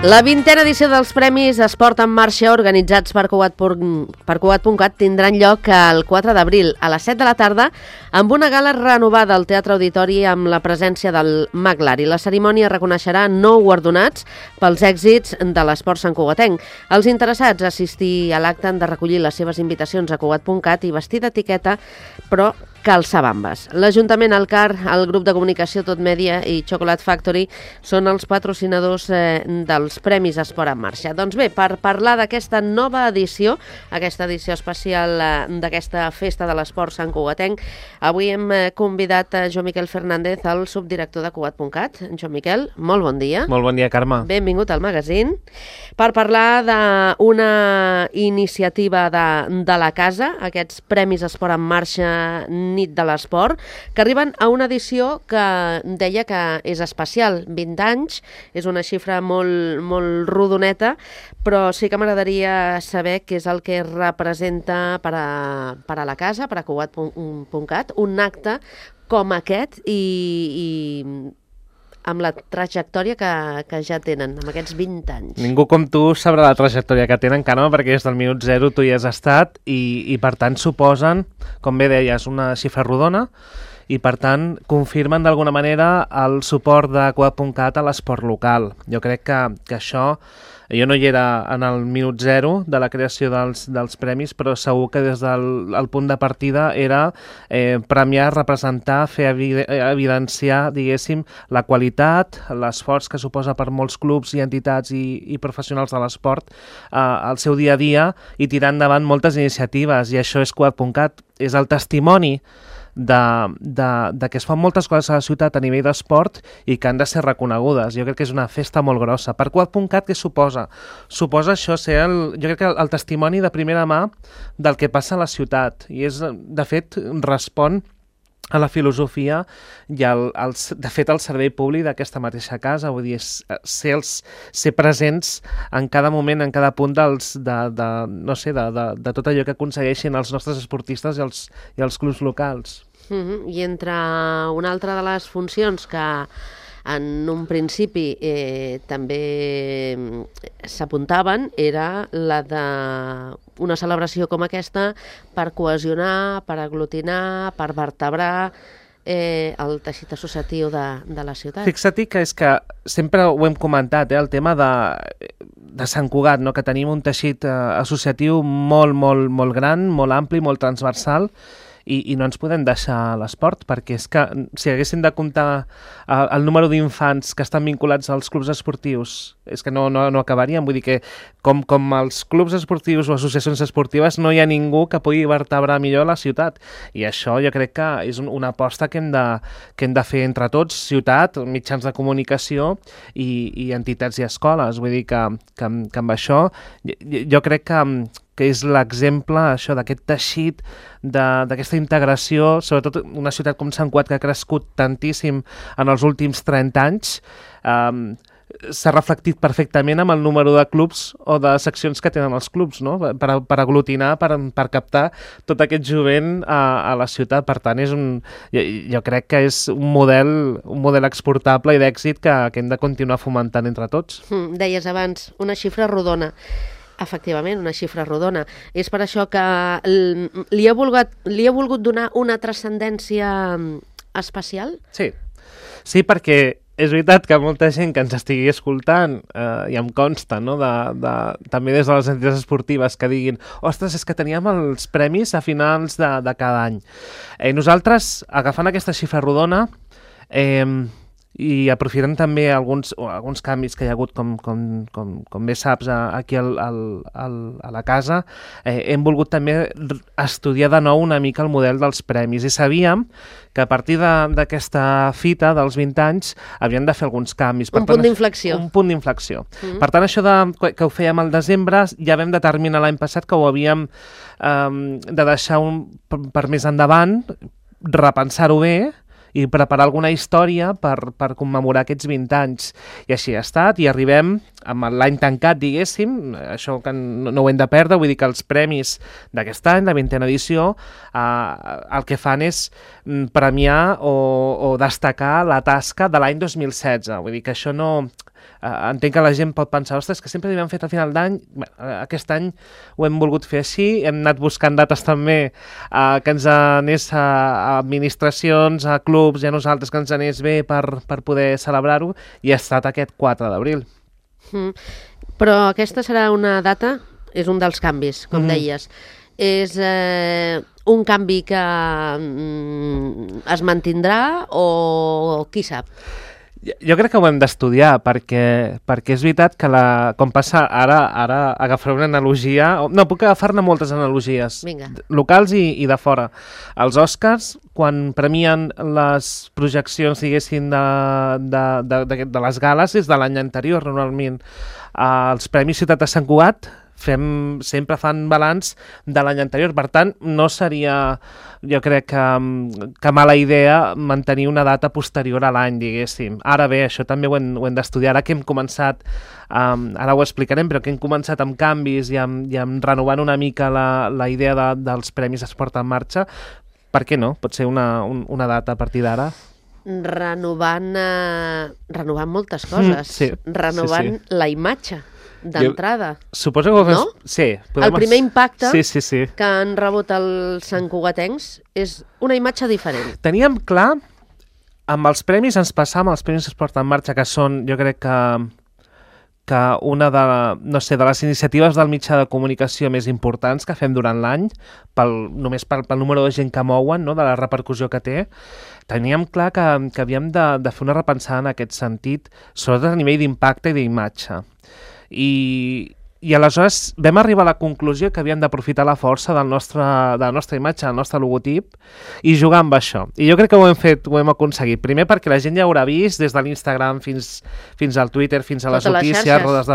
La 20a edició dels Premis Esport en Marxa organitzats per Cugat.cat tindran lloc el 4 d'abril a les 7 de la tarda amb una gala renovada al Teatre Auditori amb la presència del Maglari. La cerimònia reconeixerà 9 guardonats pels èxits de l'esport santcugatenc. Els interessats a assistir a l'acte han de recollir les seves invitacions a Cugat.cat i vestir d'etiqueta, però calçabambes. L'Ajuntament, el CAR, el grup de comunicació Tot Mèdia i Chocolate Factory són els patrocinadors dels Premis Esport en Marxa. Doncs bé, per parlar d'aquesta nova edició, aquesta edició especial d'aquesta festa de l'esport santcugatenc, avui hem convidat a Joan Miquel Fernández, el subdirector de Cugat.cat. Joan Miquel, molt bon dia. Molt bon dia, Carme. Benvingut al magazín per parlar d'una iniciativa de la casa, aquests Premis Esport en Marxa Nit de l'Esport, que arriben a una edició que deia que és especial. 20 anys, és una xifra molt rodoneta, però sí que m'agradaria saber què és el que representa per a la casa, per a Cugat.cat, un acte com aquest i amb la trajectòria que ja tenen, amb aquests 20 anys. Ningú com tu sabrà la trajectòria que tenen, Carme, perquè des del minut zero tu hi has estat i per tant suposen, com bé deies, una xifra rodona i per tant confirmen d'alguna manera el suport de Cugat.cat a l'esport local. Jo crec que això, jo no hi era en el minut zero de la creació dels premis, però segur que des del punt de partida era premiar, representar, fer evidenciar, diguéssim, la qualitat, l'esforç que suposa per molts clubs i entitats i professionals de l'esport al seu dia a dia i tirar endavant moltes iniciatives, i això és Cugat.cat, és el testimoni de que es fan moltes coses a la ciutat a nivell d'esport i que han de ser reconegudes. Jo crec que és una festa molt grossa. Per Cugat.cat, què suposa? Suposa això ser, jo crec que el testimoni de primera mà del que passa a la ciutat, i és, de fet, respon a la filosofia i de fet al servei públic d'aquesta mateixa casa, vull dir, ser presents en cada moment, en cada punt de tot allò que aconsegueixin els nostres esportistes i els clubs locals. I entre una altra de les funcions que en un principi també s'apuntaven era la d'una celebració com aquesta per cohesionar, per aglutinar, per vertebrar el teixit associatiu de la ciutat. Fixa-t'hi que és que sempre ho hem comentat, el tema de Sant Cugat, no? Que tenim un teixit associatiu molt gran, molt ampli, molt transversal, i no ens podem deixar l'esport, perquè és que si haguéssim de comptar el número d'infants que estan vinculats als clubs esportius, és que no acabaríem. Vull dir que com els clubs esportius o associacions esportives no hi ha ningú que pugui vertebrar millor la ciutat, i això jo crec que és una aposta que hem de fer entre tots, ciutat, mitjans de comunicació i entitats i escoles. Vull dir que amb això jo crec que és l'exemple això d'aquest teixit, d'aquesta integració, sobretot una ciutat com Sant Cugat, que ha crescut tantíssim en els últims 30 anys, s'ha reflectit perfectament amb el número de clubs o de seccions que tenen els clubs, no? Per aglutinar, per captar tot aquest jovent a la ciutat. Per tant, jo crec que és un model exportable i d'èxit que hem de continuar fomentant entre tots. Deies abans, una xifra rodona. Efectivament, una xifra rodona. És per això que li ha volgut donar una transcendència especial? Sí, perquè és veritat que molta gent que ens estigui escoltant, i em consta, no? També des de les entitats esportives, que diguin ostres, és que teníem els premis a finals de cada any. Nosaltres, agafant aquesta xifra rodona, i aprofitant també alguns canvis que hi ha hagut, com bé saps, aquí a la casa, hem volgut també estudiar de nou una mica el model dels premis, i sabíem que a partir d'aquesta fita dels 20 anys havien de fer alguns canvis. Un punt d'inflexió. Un punt d'inflexió. Per tant, això que ho fèiem al desembre, ja vam determinar l'any passat que ho havíem de deixar per més endavant, repensar-ho bé, i preparar alguna història per commemorar aquests 20 anys. I així ha estat, i arribem amb l'any tancat, diguéssim, això que no ho hem de perdre, vull dir que els premis d'aquest any, la 20a edició, el que fan és premiar o destacar la tasca de l'any 2016. Vull dir que això no entenc que la gent pot pensar, ostres, que sempre l'hem fet a final d'any. Aquest any ho hem volgut fer així, hem anat buscant dates també que ens anés a administracions, a clubs i a nosaltres que ens anés bé per poder celebrar-ho, i ha estat aquest 4 d'abril. Però aquesta serà una data, és un dels canvis, com deies. És un canvi que es mantindrà o qui sap? Jo crec que ho hem d'estudiar, perquè és veritat que com passa ara agafaré una analogia, no, puc agafar-ne moltes analogies, locals i de fora. Els Oscars, quan premien les projeccions, diguéssim, de les gales, és de l'any anterior, normalment. Els Premis Ciutat de Sant Cugat sempre fan balanç de l'any anterior, per tant no seria, jo crec que mala idea mantenir una data posterior a l'any, diguéssim. Ara bé, això també ho hem d'estudiar, ara que hem començat, ara ho explicarem, però que hem començat amb canvis i amb renovant una mica la idea dels Premis Esport en Marxa, per què no? Pot ser una data a partir d'ara. Renovant moltes coses, renovant la imatge d'entrada. Suposo que no? Sí. El primer impacte sí. que han rebut els santcugatencs és una imatge diferent. Teníem clar, amb els premis ens passàvem els Premis Esport en Marxa, que són, jo crec que una de les iniciatives del mitjà de comunicació més importants que fem durant l'any, només pel número de gent que mouen, no? De la repercussió que té. Teníem clar que havíem de fer una repensada en aquest sentit, sobretot a nivell d'impacte i d'imatge. I aleshores vam arribar a la conclusió que havíem d'aprofitar la força de la nostra imatge, del nostre logotip, i jugar amb això. I jo crec que ho hem aconseguit. Primer perquè la gent ja haurà vist des de l'Instagram fins al Twitter, fins a les notícies, notes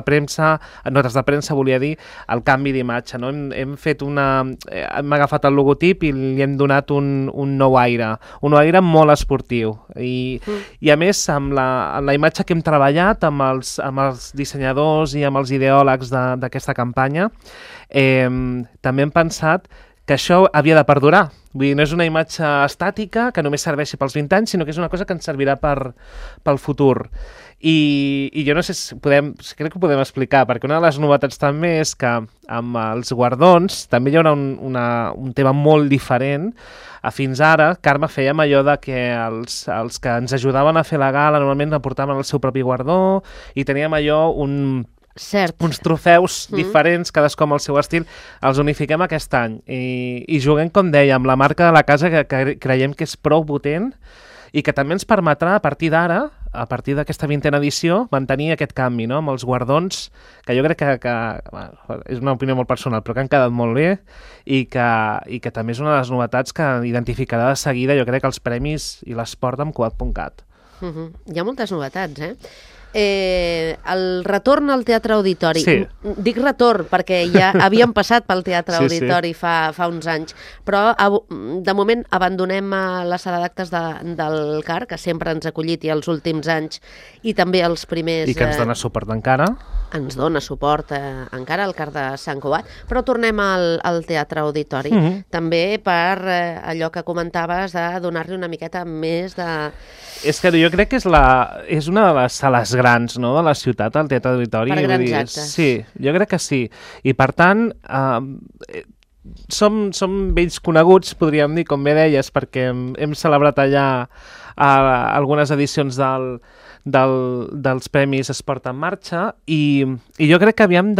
de premsa, volia dir, el canvi d'imatge. No? Hem agafat el logotip i li hem donat un nou aire molt esportiu. I a més, amb la imatge que hem treballat amb els dissenyadors i amb els ideòlegs d'aquesta campanya, també hem pensat que això havia de perdurar. Vull dir, no és una imatge estàtica que només serveixi pels 20 anys, sinó que és una cosa que ens servirà pel futur. I jo no sé si crec que ho podem explicar, perquè una de les novetats també és que amb els guardons també hi haurà un tema molt diferent. Fins ara, Carme, fèiem allò de que els que ens ajudaven a fer la gala normalment aportaven el seu propi guardó i teníem allò uns trofeus diferents, cadascú amb el seu estil, els unifiquem aquest any i juguem, com deia, amb la marca de la casa que creiem que és prou potent i que també ens permetrà a partir d'ara, a partir d'aquesta 20a edició, mantenir aquest canvi, no? Amb els guardons, que jo crec que és una opinió molt personal, però que han quedat molt bé i que també és una de les novetats que identificarà de seguida, jo crec, els premis i l'esport amb Cugat.cat. Hi ha moltes novetats, el retorn al Teatre Auditori. Sí. Dic retorn perquè ja havíem passat pel Teatre Auditori fa uns anys, però de moment abandonem la sala d'actes del CAR, que sempre ens ha acollit i els últims anys, i també els primers... I que ens dona suport encara. Ens dona suport encara al CAR de Sant Cugat, però tornem al Teatre Auditori. També per allò que comentaves de donar-li una miqueta més de... És que jo crec que és una de les sales grans, no?, de la ciutat, el Teatre Auditori. Per grans actes. Sí, jo crec que sí. I per tant, som vells coneguts, podríem dir, com bé deies, perquè hem celebrat allà algunes edicions dels Premis Esport en Marxa i jo crec que vam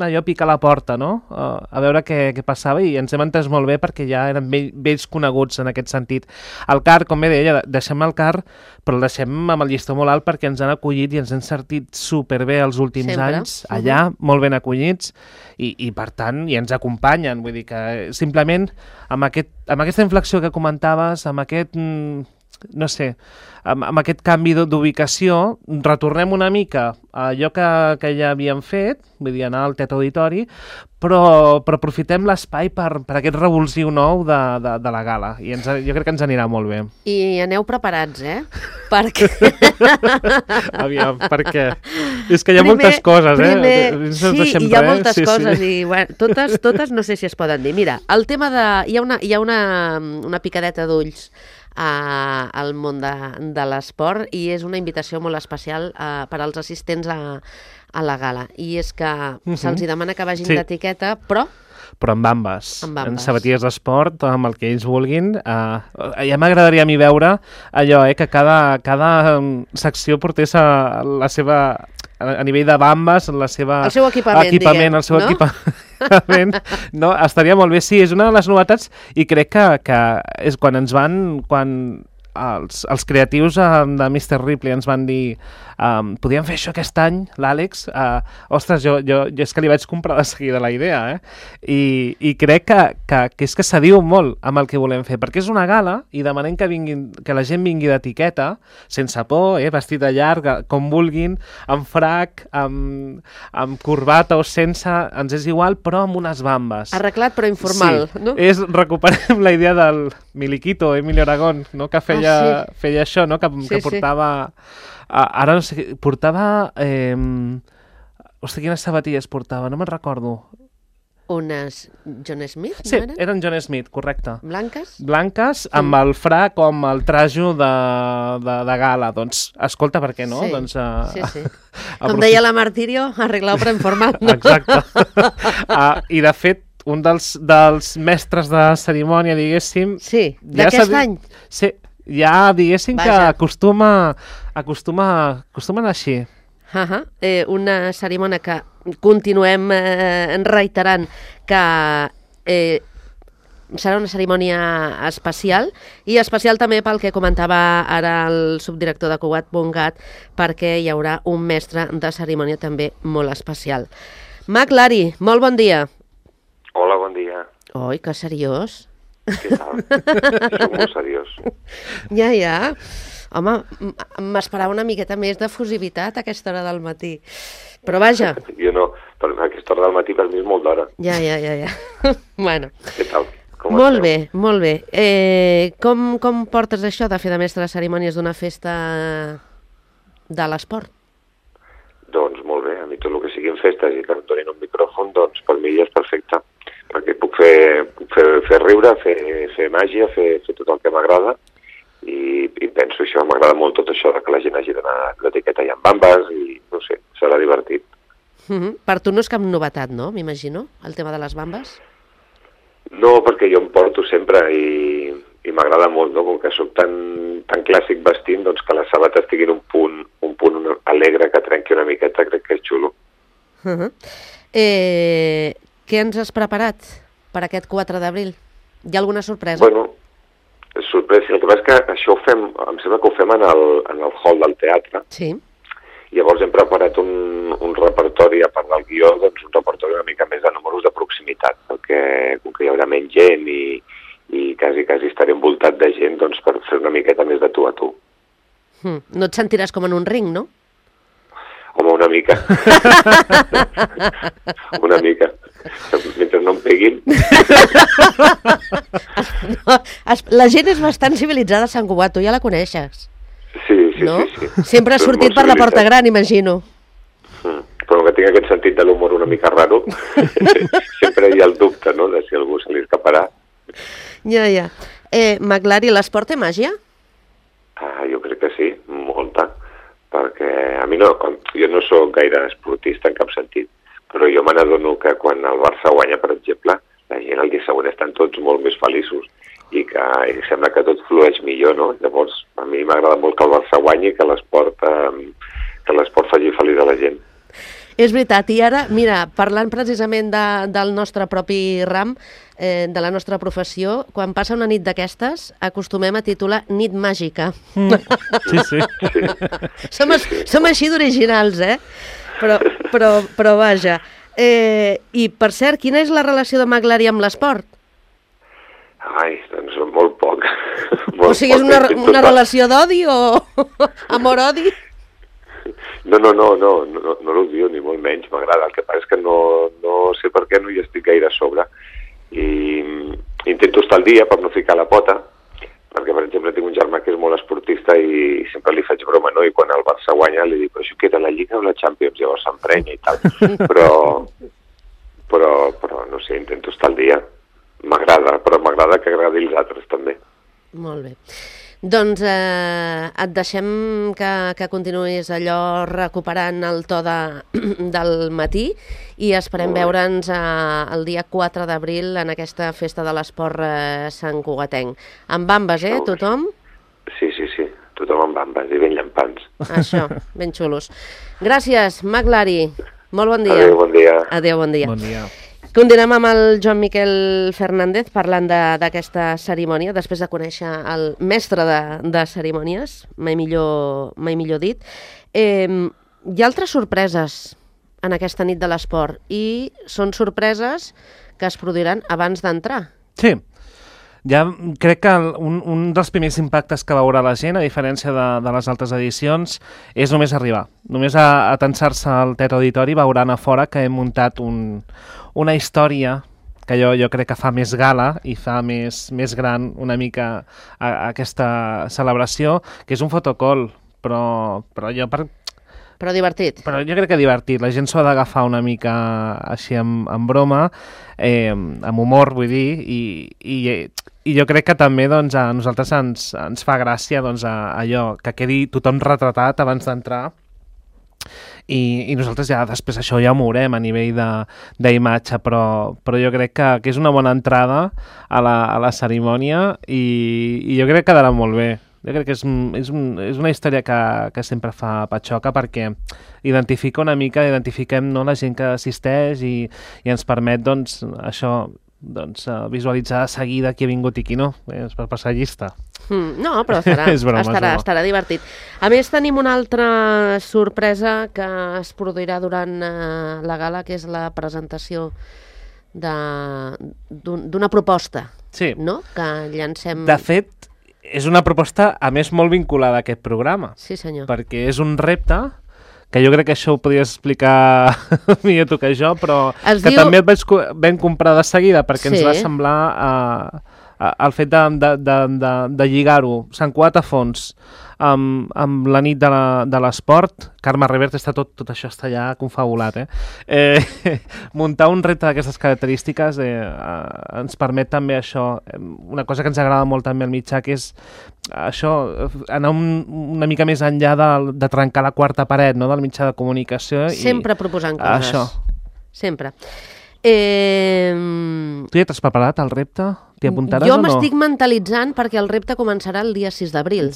allò picar la porta, no?, a veure què passava, i ens hem entès molt bé perquè ja eren vells coneguts en aquest sentit. El CAR, com bé deia, deixem el CAR, però el deixem amb el llistó molt alt perquè ens han acollit i ens han sentit superbé els últims anys allà, molt ben acollits, i per tant, i ens acompanyen. Vull dir que simplement amb aquesta inflexió que comentaves, amb aquest... no sé, amb aquest canvi d'ubicació, retornem una mica a allò que ja havíem fet, vull dir, anar al Teatre Auditori, però aprofitem l'espai per aquest revulsiu nou de la gala, i jo crec que ens anirà molt bé. I aneu preparats, perquè... Aviam, per què? És que hi ha moltes coses, Sí, hi ha moltes coses i bueno, totes no sé si es poden dir. Mira, el tema de... Hi ha una picadeta d'ulls al món de l'esport i és una invitació molt especial per als assistents a la gala. I és que se'ls demana que vagin d'etiqueta, però amb bambes. En sabatilles d'esport, amb el que ells vulguin. Ja m'agradaria a mi veure allò, que cada secció portés la seva, a nivell de bambes, el seu equipament, el seu equipament. No, estaria molt bé. Sí, és una de les novetats i crec que és quan els creatius de Mr. Ripley ens van dir podíem fer això aquest any, l'Àlex, ostres, jo és que li vaig comprar de seguida la idea, i crec que és que s'adiu molt amb el que volem fer, perquè és una gala i demanem que la gent vingui d'etiqueta, sense por, vestit de llarg, com vulguin, amb frac, amb corbata o sense, ens és igual, però amb unes bambes. Arreglat però informal, sí, no? Recuperem la idea del Miliquito, Emilio Aragón, no? Que feia això, no? Que portava... Ara no sé, portava... Hosti, quines sabatilles portava? No me'n recordo. Unes John Smith, no sí, eren? Sí, eren John Smith, correcte. Blanques? Blanques, amb el frac o amb el trajo de gala. Doncs, escolta, per què no? Sí, doncs, sí. Com deia la Martirio, arreglau per informat. No? Exacte. I, de fet, un dels mestres de cerimònia, diguéssim... Sí, d'aquest any? Sí, ja diguéssim que acostumen així. Una cerimònia que continuem reiterant que serà una cerimònia especial i especial també pel que comentava ara el subdirector de Cugat.cat, perquè hi haurà un mestre de cerimònia també molt especial. Mac Lari, molt bon dia. Hola, bon dia. Oi, que seriós. Què tal? Soc molt seriós. Ja. Home, m'esperava una miqueta més d'efusivitat a aquesta hora del matí. Però vaja. Jo no, però a aquesta hora del matí per mi és molt d'hora. Ja. Bueno. Què tal? Molt bé. Com portes això de fer de mestre de cerimònies d'una festa de l'esport? Doncs molt bé, a mi tot el que siguin festes i que em donin un micròfon, doncs per mi ja és perfecte. Perquè puc fer riure, fer màgia, fer tot el que m'agrada i penso això, m'agrada molt tot això que la gent hagi d'anar d'etiqueta i amb bambes i no sé, serà divertit. Per tu no és cap novetat, no? M'imagino, el tema de les bambes? No, perquè jo em porto sempre i m'agrada molt, no? Com que soc tan clàssic vestint, doncs que les sabates tinguin un punt alegre que trenqui una miqueta, crec que és xulo. Què ens has preparat per aquest 4 d'abril? Hi ha alguna sorpresa? Bueno, sorpresa. El que passa és que això em sembla que ho fem en el hall del teatre. Sí. Llavors hem preparat un repertori, a part del guió, doncs un repertori una mica més de números de proximitat, perquè com que hi haurà menys gent i quasi estaré envoltat de gent, doncs per fer una miqueta més de tu a tu. No et sentiràs com en un ring, no? Home, una mica. Una mica. Mentre no em peguin. La gent és bastant civilitzada a Sant Cugat, tu ja la coneixes. Sí. Sempre has sortit per la porta gran, imagino. Però que tinc aquest sentit de l'humor una mica raro, sempre hi ha el dubte, no?, de si algú se li escaparà. Ja. Mac Lari, l'esport té màgia? Jo crec que sí, molta. Perquè a mi jo no sóc gaire esportista en cap sentit, però jo me n'adono que quan el Barça guanya, per exemple, la gent el dia següent estan tots molt més feliços i que sembla que tot flueix millor, no? Llavors, a mi m'agrada molt que el Barça guanyi i que l'esport faci feliç a la gent. És veritat, i ara, mira, parlant precisament del nostre propi ram, de la nostra professió, quan passa una nit d'aquestes, acostumem a titular Nit Màgica. Sí. Som així d'originals, Però vaja. I, per cert, quina és la relació de Mac Lari amb l'esport? Ai, doncs molt poc. O sigui, és una relació d'odi o amor-odi? No l'odio ni molt menys, m'agrada. El que passa és que no sé per què no hi estic gaire a sobre. I intento estar al dia per no ficar la pota, perquè, per exemple, tinc un germà que és molt esportista i sempre li faig broma, no? I quan el Barça guanya li dic, però això queda la Lliga o la Champions? Llavors s'emprenya i tal. Però no sé, intento estar al dia. M'agrada, però m'agrada que agradi els altres també. Molt bé. Doncs et deixem que continuïs allò recuperant el to del matí i esperem veure'ns el dia 4 d'abril en aquesta festa de l'esport Sant Cugatenc. Amb bambes, tothom? Sí, tothom amb bambes i ben llampants. Això, ben xulos. Gràcies, Maglari. Molt bon dia. Adéu, bon dia. Adéu, bon dia. Bon dia. Continuem amb el Joan Miquel Fernández parlant d'aquesta cerimònia, després de conèixer el mestre de cerimònies, mai millor dit. Hi ha altres sorpreses en aquesta nit de l'esport i són sorpreses que es produiran abans d'entrar. Sí. Ja crec que un dels primers impactes que veurà la gent, a diferència de les altres edicions, és només arribar. Només a tensar-se al Teatre Auditori veuran a fora que hem muntat una història que jo crec que fa més gala i fa més gran una mica aquesta celebració, que és un fotocall, però jo Però divertit. Però jo crec que divertit. La gent s'ho ha d'agafar una mica així amb broma, amb humor, vull dir, i jo crec que també doncs, a nosaltres ens fa gràcia doncs, allò, que quedi tothom retratat abans d'entrar i nosaltres ja després això ja ho mourem a nivell d'imatge, però jo crec que és una bona entrada a la cerimònia i jo crec que quedarà molt bé. Jo crec que és una història que sempre fa patxoca perquè identifiquem no, la gent que assisteix i ens permet doncs, això, visualitzar de seguida qui ha vingut i qui no, per passar llista. No, però estarà divertit. A més, tenim una altra sorpresa que es produirà durant la gala, que és la presentació d'una proposta, sí. No? Que llancem... De fet, és una proposta, a més, molt vinculada a aquest programa. Sí, senyor. Perquè és un repte, que jo crec que això ho podries explicar millor tu que jo, però també et vam comprar de seguida perquè ens va semblar el fet de lligar-ho, Sant Cugat a fons, amb la nit de l'esport. Carme Revert, tot això està ja confabulat. Muntar un repte d'aquestes característiques ens permet també això, una cosa que ens agrada molt també al mitjà, que és això, anar una mica més enllà de trencar la quarta paret, no?, del mitjà de comunicació. Sempre proposant coses. Això. Sempre. Tu ja t'has preparat el repte? T'hi apuntaràs o no? Jo m'estic mentalitzant perquè el repte començarà el dia 6 d'abril.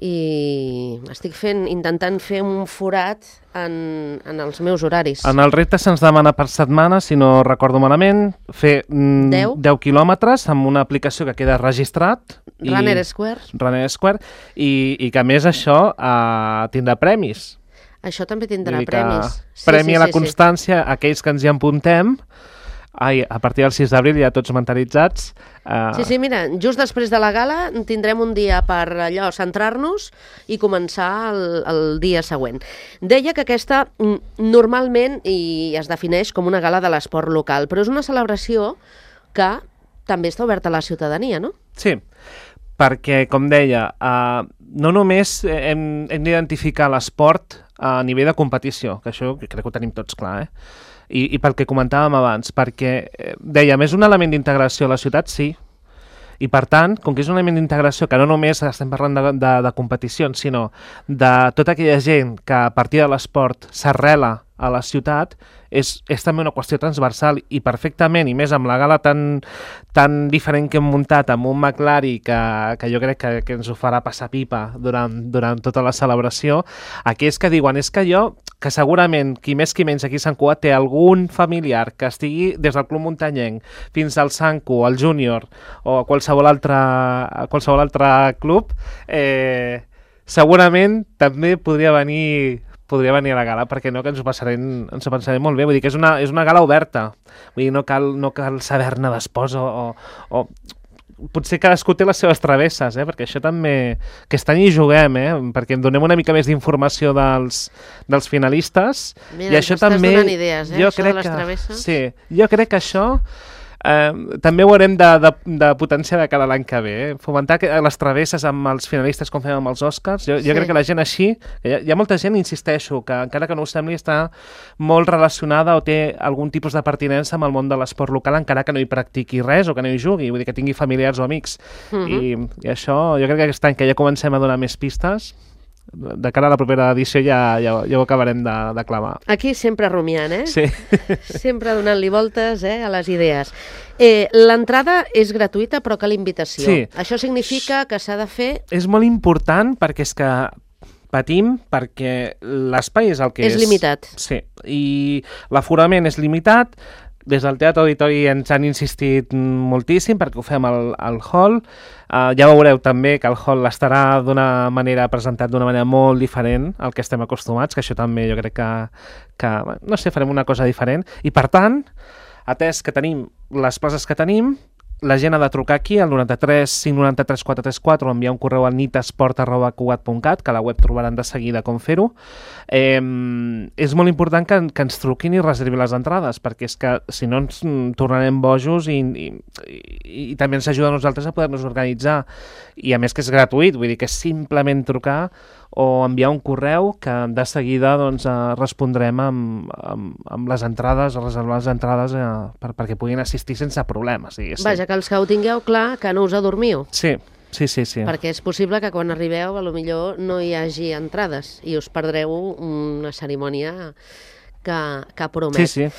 I estic intentant fer un forat en els meus horaris. En el repte se'ns demana per setmana, si no recordo malament, fer 10 quilòmetres amb una aplicació que queda registrat. Runner Square. I que a més això tindrà premis. Això també tindrà premis. Premi a la constància, aquells que ens hi apuntem. A partir del 6 d'abril ja tots mentalitzats. Sí, mira, just després de la gala tindrem un dia per allò centrar-nos i començar el dia següent. Deia que aquesta normalment es defineix com una gala de l'esport local, però és una celebració que també està oberta a la ciutadania, no? Sí, perquè, com deia, no només hem d'identificar l'esport a nivell de competició, que això crec que ho tenim tots clar, I pel que comentàvem abans, perquè, dèiem, és un element d'integració a la ciutat, sí, i per tant, com que és un element d'integració que no només estem parlant de competicions, sinó de tota aquella gent que a partir de l'esport s'arrela a la ciutat, és també una qüestió transversal i perfectament, i més amb la gala tan diferent que hem muntat amb un McLaren que jo crec que ens ho farà passar pipa durant tota la celebració, aquells que diuen, és que que segurament qui més qui menys aquí a Sant Cugat té algun familiar que estigui des del Club Muntanyenc fins al Sancu, al Júnior o a qualsevol altre club, segurament també podria venir a la gala, perquè no, que ens ho passarem molt bé. Vull dir que és una gala oberta. Vull dir, no cal saber-ne d'espòs o potser cadascú té les seves travesses, perquè això també... Aquest any hi juguem, perquè em donem una mica més d'informació dels finalistes. Mira, i això també... Estàs donant idees, això de les travesses. Sí, jo crec que això també ho haurem de potenciar de cara a l'any que ve. Fomentar les travesses amb els finalistes com fem amb els Oscars. Jo crec que la gent així... Hi ha molta gent, insisteixo, que encara que no ho sembli, està molt relacionada o té algun tipus de pertinença amb el món de l'esport local, encara que no hi practiqui res o que no hi jugui, vull dir que tingui familiars o amics. I això, jo crec que aquest any que ja comencem a donar més pistes, de cara a la propera edició ja ho acabarem de clamar. Aquí sempre rumiant, Sí. Sempre donant-li voltes a les idees. L'entrada és gratuïta, però cal invitació. Sí. Això significa que s'ha de fer... És molt important perquè és que patim, perquè l'espai és el que és. És limitat. Sí, i l'aforament és limitat. Des del Teatre Auditori ens han insistit moltíssim perquè ho fem al hall. Ja veureu també que el hall estarà presentat d'una manera molt diferent al que estem acostumats, que això també jo crec que no sé, farem una cosa diferent. I per tant, atès que tenim les places que tenim, la gent ha de trucar aquí al 93 593 434 o enviar un correu al nitesport@cugat.cat, que a la web trobaran de seguida com fer-ho. És molt important que ens truquin i reservin les entrades, perquè és que si no ens tornarem bojos i també ens ajuda a nosaltres a poder-nos organitzar. I a més que és gratuït, vull dir que és simplement trucar o enviar un correu que de seguida respondrem amb les entrades, reservar les entrades perquè puguin assistir sense problemes. Vaja, que els que ho tingueu clar, que no us adormiu. Sí. Perquè és possible que quan arribeu potser no hi hagi entrades i us perdreu una cerimònia que promet. Sí.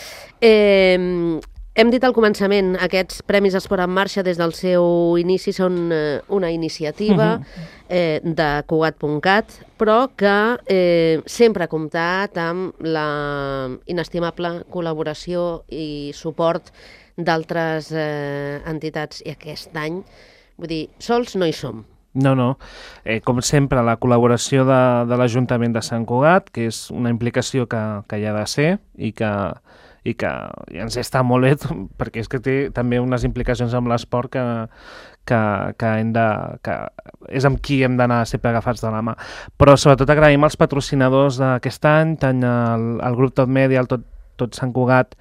Hem dit al començament, aquests Premis Esport en Marxa des del seu inici són una iniciativa de Cugat.cat, però que sempre ha comptat amb la inestimable col·laboració i suport d'altres entitats. I aquest any, vull dir, sols no hi som. No. Com sempre, la col·laboració de l'Ajuntament de Sant Cugat, que és una implicació que hi ha de ser i que ens està molt bé, perquè és que té també unes implicacions amb l'esport que és amb qui hem d'anar sempre agafats de la mà. Però sobretot agraïm als patrocinadors d'aquest any, tant al grup Tot Media, al Tot Sant Cugat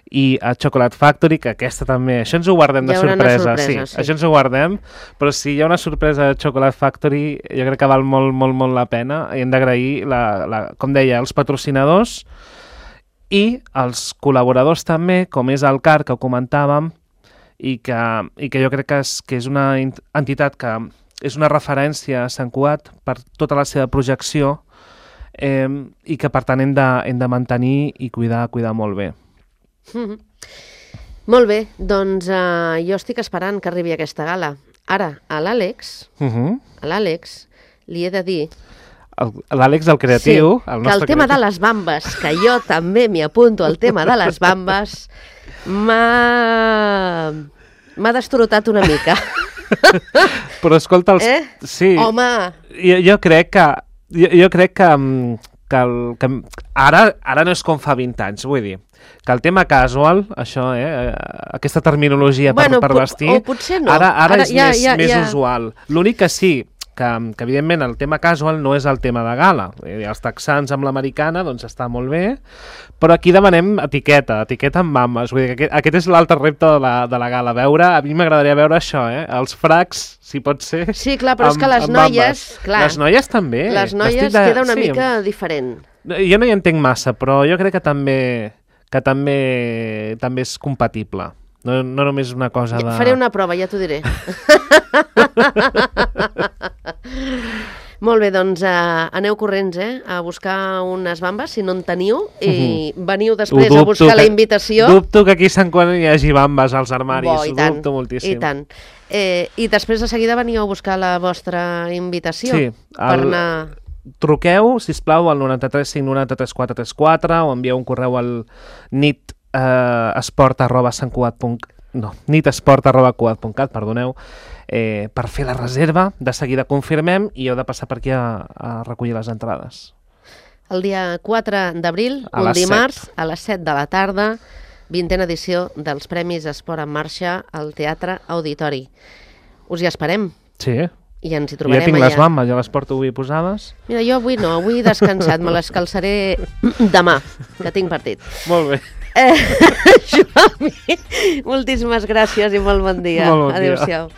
i a Chocolate Factory, que aquesta també... Això ens ho guardem de sorpresa. Sí, això ens ho guardem, però si hi ha una sorpresa de Chocolate Factory, jo crec que val molt, molt, molt la pena, i hem d'agrair, com deia, els patrocinadors i els col·laboradors també, com és el CAR, que ho comentàvem, i que jo crec que és una entitat que és una referència a Sant Cugat per tota la seva projecció i que per tant hem de mantenir i cuidar molt bé. Molt bé, doncs jo estic esperant que arribi aquesta gala. Ara, a l'Àlex li he de dir... L'Àlex, el creatiu... Sí, que el tema de les bambes, que jo també m'hi apunto al tema de les bambes, m'ha destorotat una mica. Però escolta... Sí. Home! Jo crec que ara no és com fa 20 anys, vull dir, que el tema casual, això, aquesta terminologia per vestir, o potser no. Ara és més usual. L'únic que sí, que evidentment el tema casual no és el tema de gala. Els texans amb l'americana doncs està molt bé, però aquí demanem etiqueta amb mames. Vull dir que aquest és l'altre repte de la gala. A mi m'agradaria veure això, els fracs, si pot ser. Sí, clar, però és que les noies... Clar, les noies també. Les noies queda una mica diferent. Jo no hi entenc massa, però jo crec que també és compatible. No només una cosa de... Faré una prova, ja t'ho diré. Molt bé, doncs aneu corrents a buscar unes bambes, si no en teniu, i veniu després a buscar la invitació. Dubto que aquí a Sant Cugat hi hagi bambes als armaris, dubto moltíssim. I tant. I després de seguida veniu a buscar la vostra invitació. Sí. Per anar... Truqueu, sisplau, al 93 593 434 o envieu un correu al nitesport@cugat.cat, perdoneu, per fer la reserva. De seguida confirmem i heu de passar per aquí a recollir les entrades. El dia 4 d'abril, un dimarts, a les 7 de la tarda, 20a edició dels Premis Esport en Marxa al Teatre Auditori. Us hi esperem. Sí. I ens hi trobarem allà. Jo tinc les bambes, ja les porto avui posades. Mira, jo avui no, avui he descansat, me les calçaré demà, que tinc partit. Molt bé. Joan, moltíssimes gràcies i molt bon dia. Molt bon dia. Adéu-siau.